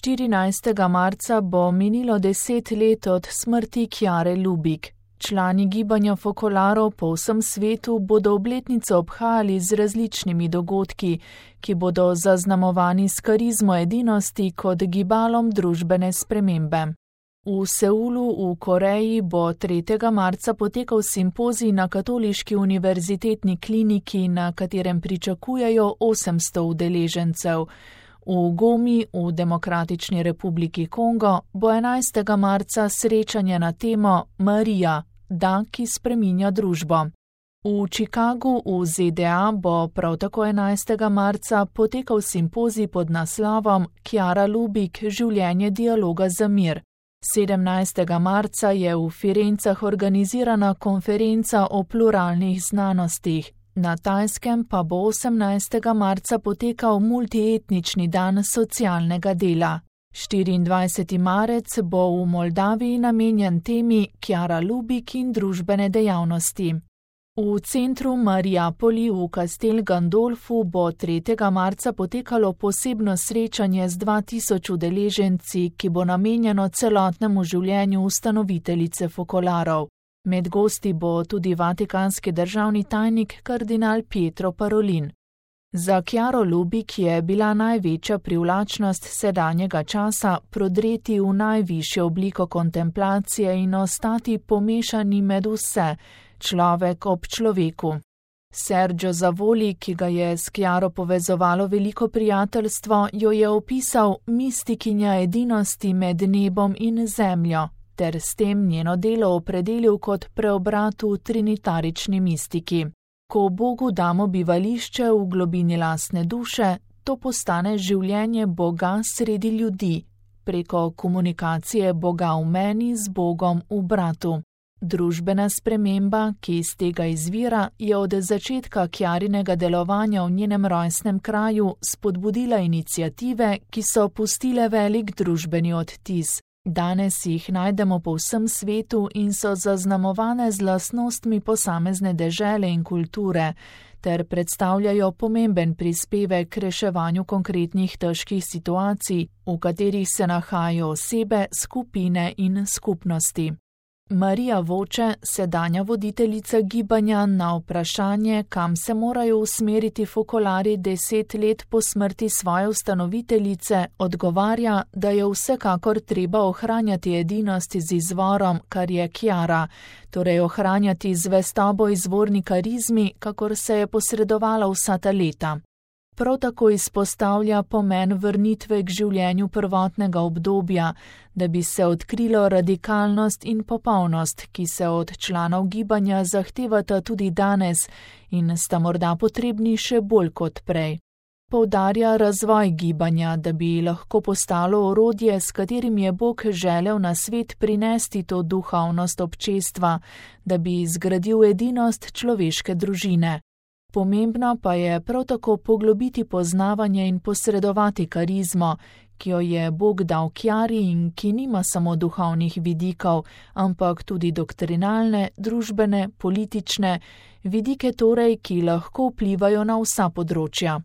14. marca bo minilo 10 let od smrti Chiare Lubich. Člani gibanja fokolarov po vsem svetu bodo obletnico obhajali z različnimi dogodki, ki bodo zaznamovani s karizmo edinosti kot gibalom družbene spremembe. V Seulu v Koreji bo 3. marca potekal simpozij na Katoliški univerzitetni kliniki, na katerem pričakujejo 800 udeležencev. V Gomi v Demokratični republiki Kongo bo 11. marca srečanje na temo Marija, dan, ki spreminja družbo. V Chicagu v ZDA bo prav tako 11. marca potekal simpozij pod naslovom Chiara Lubich, življenje dialoga za mir. 17. marca je v Firencah organizirana konferenca o pluralnih znanostih. Na Tajskem pa bo 18. marca potekal multietnični dan socialnega dela. 24. marec bo v Moldaviji namenjen temi Chiara Lubich in družbene dejavnosti. V centru Mariupoli v Castel Gandolfu bo 3. marca potekalo posebno srečanje z 2000 udeleženci, ki bo namenjeno celotnemu življenju ustanoviteljice fokolarov. Med gosti bo tudi vatikanski državni tajnik kardinal Pietro Parolin. Za Chiaro Lubich je bila največja privlačnost sedanjega časa prodreti v najvišjo obliko kontemplacije in ostati pomešani med vse, človek ob človeku. Sergio Zavoli, ki ga je s Chiaro povezovalo veliko prijateljstvo, jo je opisal mistikinja edinosti med nebom in zemljo, ter s tem njeno delo opredelil kot preobrat v trinitarični mistiki. Ko Bogu damo bivališče v globini lastne duše, to postane življenje Boga sredi ljudi, preko komunikacije Boga v meni z Bogom v bratu. Družbena sprememba, ki iz tega izvira, je od začetka Chiarinega delovanja v njenem rojstnem kraju spodbudila iniciative, ki so pustile velik družbeni odtis. Danes jih najdemo po vsem svetu in so zaznamovane z lastnostmi posamezne dežele in kulture, ter predstavljajo pomemben prispevek k reševanju konkretnih težkih situacij, v katerih se nahajajo osebe, skupine in skupnosti. Marija Voče, sedanja voditeljica gibanja, na vprašanje, kam se morajo usmeriti fokolari 10 let po smrti svoje ustanoviteljice, odgovarja, da je vsekakor treba ohranjati edinost z izvorom, kar je Chiara, torej ohranjati zvestobo izvorni karizmi, kakor se je posredovala vsa ta leta. Prav tako izpostavlja pomen vrnitve k življenju prvotnega obdobja, da bi se odkrilo radikalnost in popolnost, ki se od članov gibanja zahtevata tudi danes in sta morda potrebni še bolj kot prej. Poudarja razvoj gibanja, da bi lahko postalo orodje, s katerim je Bog želel na svet prinesti to duhovnost občestva, da bi zgradil edinost človeške družine. Pomembno pa je prav tako poglobiti poznavanje in posredovati karizmo, ki jo je Bog dal Chiari in ki nima samo duhovnih vidikov, ampak tudi doktrinalne, družbene, politične, vidike torej, ki lahko vplivajo na vsa področja.